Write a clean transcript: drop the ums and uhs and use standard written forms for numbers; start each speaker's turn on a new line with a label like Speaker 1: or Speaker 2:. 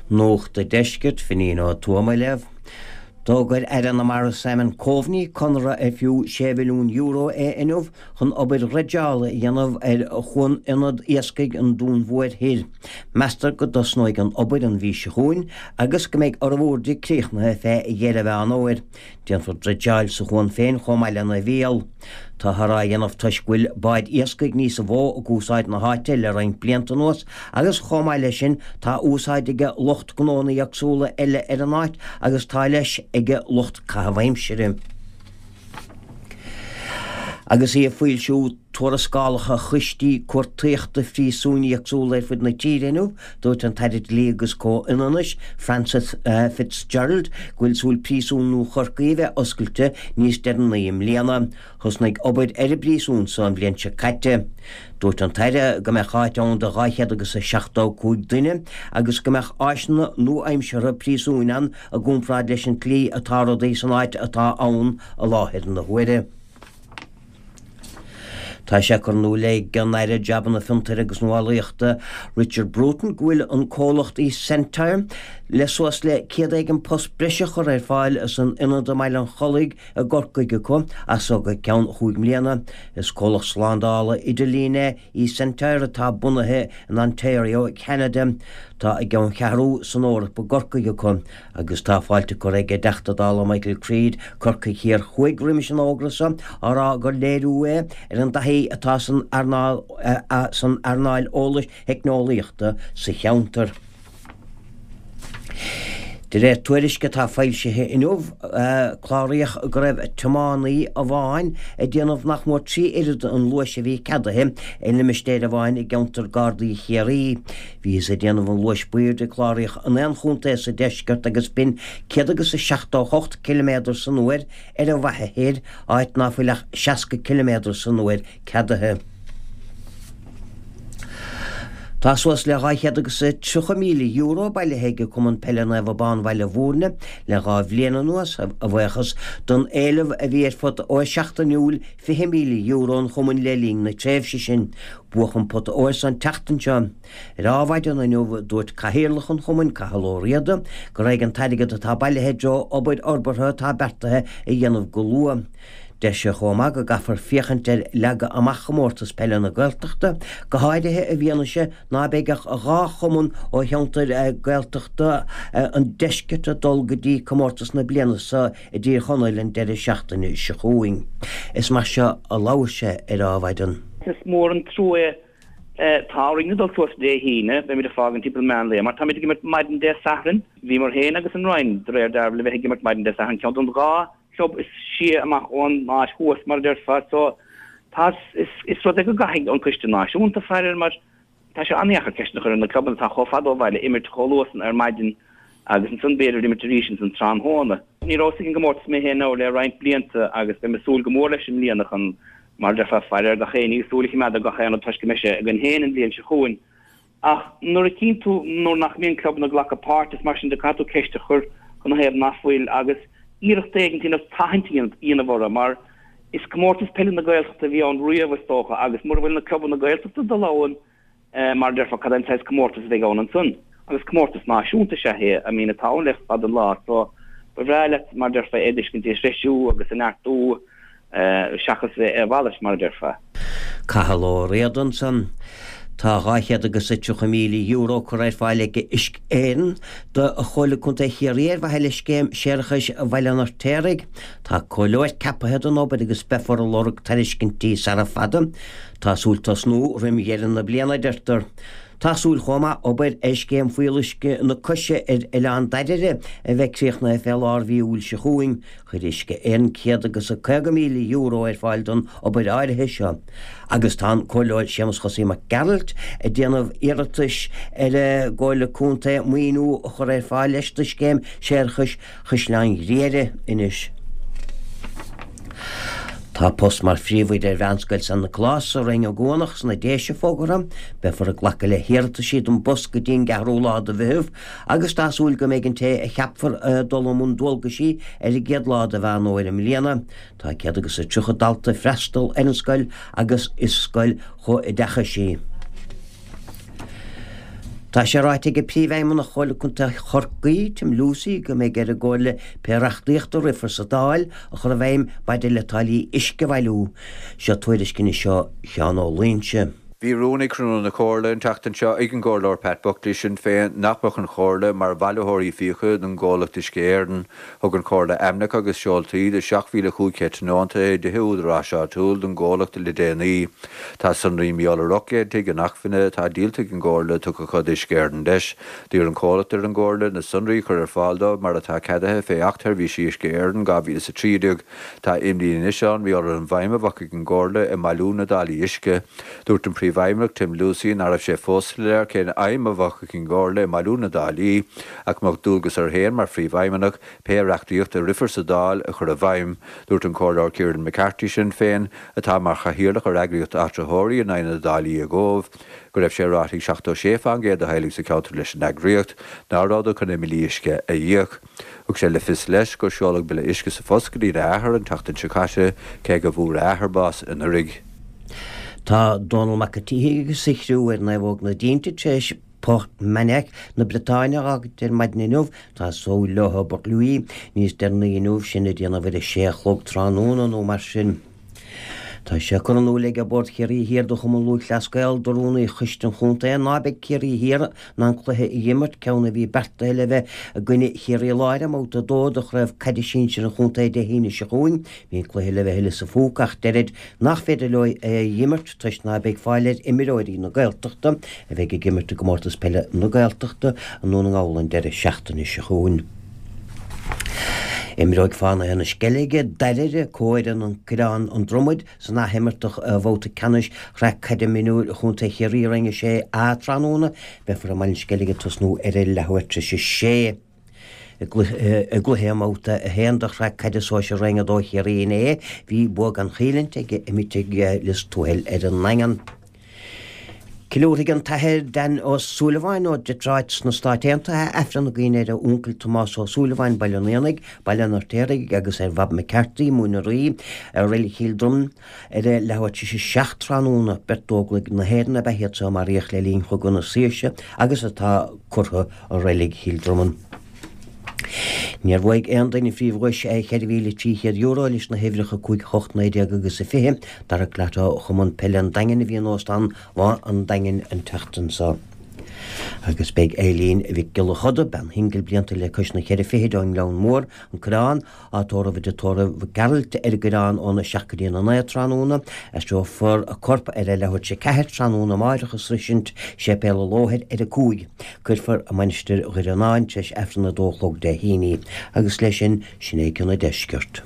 Speaker 1: Nuacht an Deiscirt, Finín Ó Tuama á léamh. D'fhógair Aire na Mara Simon Coveney conradh ar fiú €6 mhilliún é inniu chun obair dhreideála a dhéanamh ar Chuan Ionad Iascaigh an Dúin Mhóir Thoir. Meastar go dtosnóidh an obair an mhí seo chugainn agus go mbeidh fhormhór di críochnaithe fé dheireadh Mheán Fhómhair. Déanfar dreideáil sa chuan féin chomh maith lena mhíol. Táthar á dhéanamh toisc go bhfuil báid iascaigh níosa mhó ag úsáid na háite le roinnt blianta anuas agus chomh maith leis sin tá úsáid ag lucht gnónna éagsúla eile ar an áit agus tá leis ag lucht caitheamh aimsire. Agus í ag foilsiú tuarascálacha choistí cuartaíochta phríosúin éagsúla ar fud na tíre inniu, dúirt an tAire Dlí agus Comhionannais, Frances Fitzgerald, go bhfuil súil Príosún Nua Chorcaí a bheith oscailte níos deireanaí i mbliana. Thosnaigh obair ar an bpríosún so an bhliain seo caite. Dúirt an tAire go mbeadh áit ann do 275 duine agus go mbeadh áiseanna nua-aimseartha príosúin ann i gcomparáid leis an tslí atá rudaí san áit atá ann i láthair na huaire. Tá sé curtha in iúl ag an Aire Jabanna Fiontair agus Nuálaíochta Richard Bruton go bhfuil an comhlacht eSentire le suas le 100 éigin post breise a chur ar fáil san ionad i mBaile an Chollaigh i gCorcaigh acu as so go ceann chúig mbliana. Is comhlacht slándála idirlín é eSentire atá bunaithe in Ontario, Ceanada. Tá a gceanncheathrú san Eoraip i gCorcaigh acu agus tá fáilte curtha ag an dTeachta Dála Michael Creed, Corcaigh Thiar Thuaidh, roimis an fhógra seo, á rá gur léiriú é ar an dtaithí atá san san earnáil eolais theicneolaíochta sa cheantar. De réir tuairisce atá foilsithe inniu, cláraíodh go raibh tiománaí amháin ag déanamh nach mór 3 oiread an luais a bhí ceadaithe i limistéar amháin i gceantar Gardaí Chiarraí. Bhíothas ag déanamh an luais b'airde a cláraíodh in aon chontae sa deisceart agus b'in 178 ciliméadar san uair ar an bhFaiche Thoir, áit ná fuil ach 60 ciliméadar san uair ceadaithe. Tá suas le €230,000 bailithe ag Cumann Peile Naomh Abán Bhaile Bhúirne le 2 bhliain anuas, a bhuíochas don éileamh a bhí ar phota óir seachtainiúil €20,000 an chumainn le linn na tréimhse sin. Buadh an pota óir san tseachtain seo. Ar Adhmhaidin inniu, dúirt Cathaoirleach an chumainn, Cathal Ó Riada, go raghaidh an t-airgead atá bailithe i dtreo obair fhorbartha atá beartaithe a dhéanamh go luath. Deir sé chomh maith go gcaithfear féachaint ar leagadh amach Chomórtas Peile na Gaeltachta, go háirithe i bhfianaise ná beidh ach 2 chumann ó cheantair Gaeltachta an deiscirt ag dul go dtí comórtas na bliana seo i dTír Chonaill an deireadh seachtaine seo chugainn. Is mar seo a labhair sé ar Adhmhaidin.
Speaker 2: Is mór an trua é. Tá orainn a dhul suas Dé hAoine, beimid ag fágaint timpeall meán lae, mar táimid ag imirt maidin Dé Sathairn. Bhíomar féin agus an Rinn, de réir dealraimh, le bheith ag imirt maidin Dé Sathairn, ceann den 2 club is sia amach ón áit thuas, mar a déarfá. So, tá, is, is rud é go gcaithfidh an Coiste Náisiúnta faire air mar tá sé an-dheacair ceist a chur ar na clubanna atá chomh fada ó bhaile imirt chomh luath san ar maidin agus ansan b'fhéidir imirt arís ansan tráthnóna. Ní rabhas ag an gcomórtas mé féin now le roinnt blianta agus beidh mé ag súil go mór leis i mbliana chun, mar a déarfá, faire ar gach aon ní, súil a choimeád ar gach aon rud toisc go mbeidh sé againn féin an bhliain seo chugainn. Ach nuair a chíonn tú nuair nach mbíonn clubanna ag glacadh páirt is mar sin de caithfidh tú ceist a chur canathaobh nach bhfuil agus iarracht éigin a dhéanamh tathaint a dhéanamh orthu mar is comórtas peile na Gaeltachta a bhí ann riamh is dócha agus mura bhfuil na clubanna Gaeltachta ag dul ann mar a déarfá cad é an saghas comórtas a bheidh ann ansan agus comórtas náisiúnta is ea é I mean atá ann le fada an lá so ba bhreá leat mar a déarfá é a fheiscint ag treisiú agus ag neartú seachas a mhalairt, mar a déarfá.
Speaker 1: Cathal Ó Riada ansan. Tá €230,000 curtha ar fáil ag Uisce Éireann do Chomhairle Contae Chiarraí ar mhaithe le scéim séarachais Bhaile an Fheirtéaraigh. Tá comhairleoir ceapaithe don obair agus beifear ag lorg tairiscintí sara fada. Tá súil tosnú roim dheireadh na bliana, a deirtear. Tá súil chomh maith obair ar scéim fuíolluisce na Coise ar Oileán Dairbhre a bheith críochnaithe fé lár mhí Iúil seo chugainn. Chuir Uisce Éireann €150,000 ar fáil don obair áirithe seo agus tá an Comhairleoir Séamus Chosaí Mac Gearailt ag déanamh iarratais ar an gComhairle Contae maoiniú a chur ar fáil leis do scéim séarachais Chaisleán Ghriaire anois. Tá post mar phríomhoide ar Mheánscoil San Nioclás sa Rinn Ó gCuanach sna Déise fógartha. Beifear ag glacadh le hiarrataisí don bpost go dtí an gceathrú lá de Mheitheamh Agus tá súil go mbeidh an té a cheapfar ag dul i mbun dualgaisí ar an gcéad lá de Mheán Fhómhair i mbliana. Tá 130 dalta ag freastal ar an scoil agus is scoil chomhoideachais í. Tá sé ráite ag Príomhfheidhmeannach Chomhairle Contae Chorcaí, Tim Lucey, go mbeidh ar an gComhairle pé reachtaíocht a rithfear sa Dáil a chur i bhfeidhm maidir le táillí uisce a bhailiú. Seo tuairisc anois ó Sheán Ó Loingsigh.
Speaker 3: Bhí rún ag cruinniú na Comhairle an tseachtain seo ag an gComhairleoir Pat Buckley, Sinn Féin, nach mbeadh an Chomhairle mar bhailitheoirí fiacha don gcomhlacht Uisce Éireann. Thug an Chomhairle ainmneacha agus seoltaí de 7,500 tionónta i dtithe údaráis áitiúil don gcomhlacht le déanaí. Tá sonraí mar gheall ar 800 tigh inacmhainne atá díolta ag an gComhairle tugtha acu d'Uisce Éireann leis. D'iarr an comhlacht ar an gComhairle na sonraí a chur ar fáil dóibh mar atá ceadaithe fé Acht Sheirbhísí Uisce Éireann 2013. Tá imní anois ann mar gheall ar an bhfeidhm a bheadh ag an gComhairle i mbailiú na dtáillí uisce. Dúirt an Príomhfheidhmeannach Tim Lucey nach raibh sé fós soiléir cén fheidhm a bheadh ag an gComhairle i mbailiú na dtáillí ach go mbeadh dualgas air féin mar Phríomhfheidhmeannach pé reachtaíocht a rithfear sa Dáil a chur i bhfeidhm. Dúirt an Comhairleoir Kieran McCarthy, Sinn Féin, atá mar chathaoirleach ar eagraíocht áitritheoirí in aghaidh na dtáillí i gCóbh, go raibh sé ráite ag 76 fán gcéad de theaghlaigh sa cheantar leis an eagraíocht ná rabhadar chun a mbillí uisce a íoc. Thug sé le fios leis gur seoladh bille uisce sa phost go dtína athair an tseachtain seo caite, cé go bhfuair a athair bás anuraidh.
Speaker 1: Tá Dónal Mac an tSíthigh agus a chriú ar Naomhóg na dTinte tar éis Port-Menec na Briotáine a fhágaint ar maidin inniu. Tá súil leo i bPort Louis níos deireanaí inniu, sin ag déanamh ar a sé a chlog tráthnóna nó mar sin. Tá sé curtha in iúl ag Bord Chiarraí Thiar do Chumann Lúthchleas Gael do Rúnaí Choiste an Chontae ná beidh Ciarraí Thiar in ann cluiche a dh'imirt, ceann a bhí beartaithe le bheith i gcoinne Chiarraí Láir i mbabhta 2 de Chraobh Caide Sinsir an Chontae Dé hAoine seo chugainn. Bhí an cluiche le bheith i Lios a' Phúca ach deirid nach féidir leo é a dh'imirt toisc ná beidh fáil ar imreoirí na Gaeltachta a bheidh ag imirt i gComórtas Peile na Gaeltachta i nDún na nGall an deireadh seachtaine seo chugainn. Imreoidh Fánaithe na Sceilge, Doire, comhfhoireann An Coireán An Dromaid san athimirt de bhabhta ceannais Shraith Caide Mionúir Chontae Chiarraí Roinn 6A tráthnóna. Beifear i mBaile na Sceilge ag tosnú ar a leathuair tar éis a sé. I gcluiche i mBabhta 1 de Shraith Caide Sóisir Roinn 2 Chiarraí inné, bhí bua gan chailliúint ag Oimitigh Lios Tuathail ar an nDaingean. Ceiliúrfaidh an tAthair Dan Ó Súilleabháin ó Detroit sna Stáit Aontaithe Aifreann i gcuimhne ar a uncail Tomás Ó Súilleabháin, Baile an Éanaigh, Baile an Fheirtéaraigh agus ar Bhob McCarthy, Móin an Rí, i Reilig Chill Droim ar a leathuair tar éis a 7 tráthnóna. Beirt d'Óglaigh na hÉireann ab ea iad so a maraíodh le linn Chogadh na Saoirse agus atá curtha i Reilig Chill Dromann. Níor bhuaigh aon duine an phríomhdhuais €4,300 leis na huimhreacha 5, 8, 19 agus 20. Darach Glatt ó Chumann Peile an Daingin a bhí in Óstán Bhá an Daingin an tseachtain seo. Agus beidh Eileen Mhic Giolla Choda, bean shingil blianta le cois na ceithre fichid ón nGleann Mór, An Coireán, á tórramh i dTigh Tórraimh Mhic Gearailt ar an gCoireán óna 7 go dtí a 9 tráthnóna. Aistreofar a corp ar a leathuair tar éis a 4 tráthnóna amáireach ag sroisint Séipéal an Lóthair ar a 5. Cuirfear i Mainistir Dhoire an Fháin tar éis Aifreann a dó a chlog Dé hAoine í. Agus leis sin, sin é cionn an deiscirt.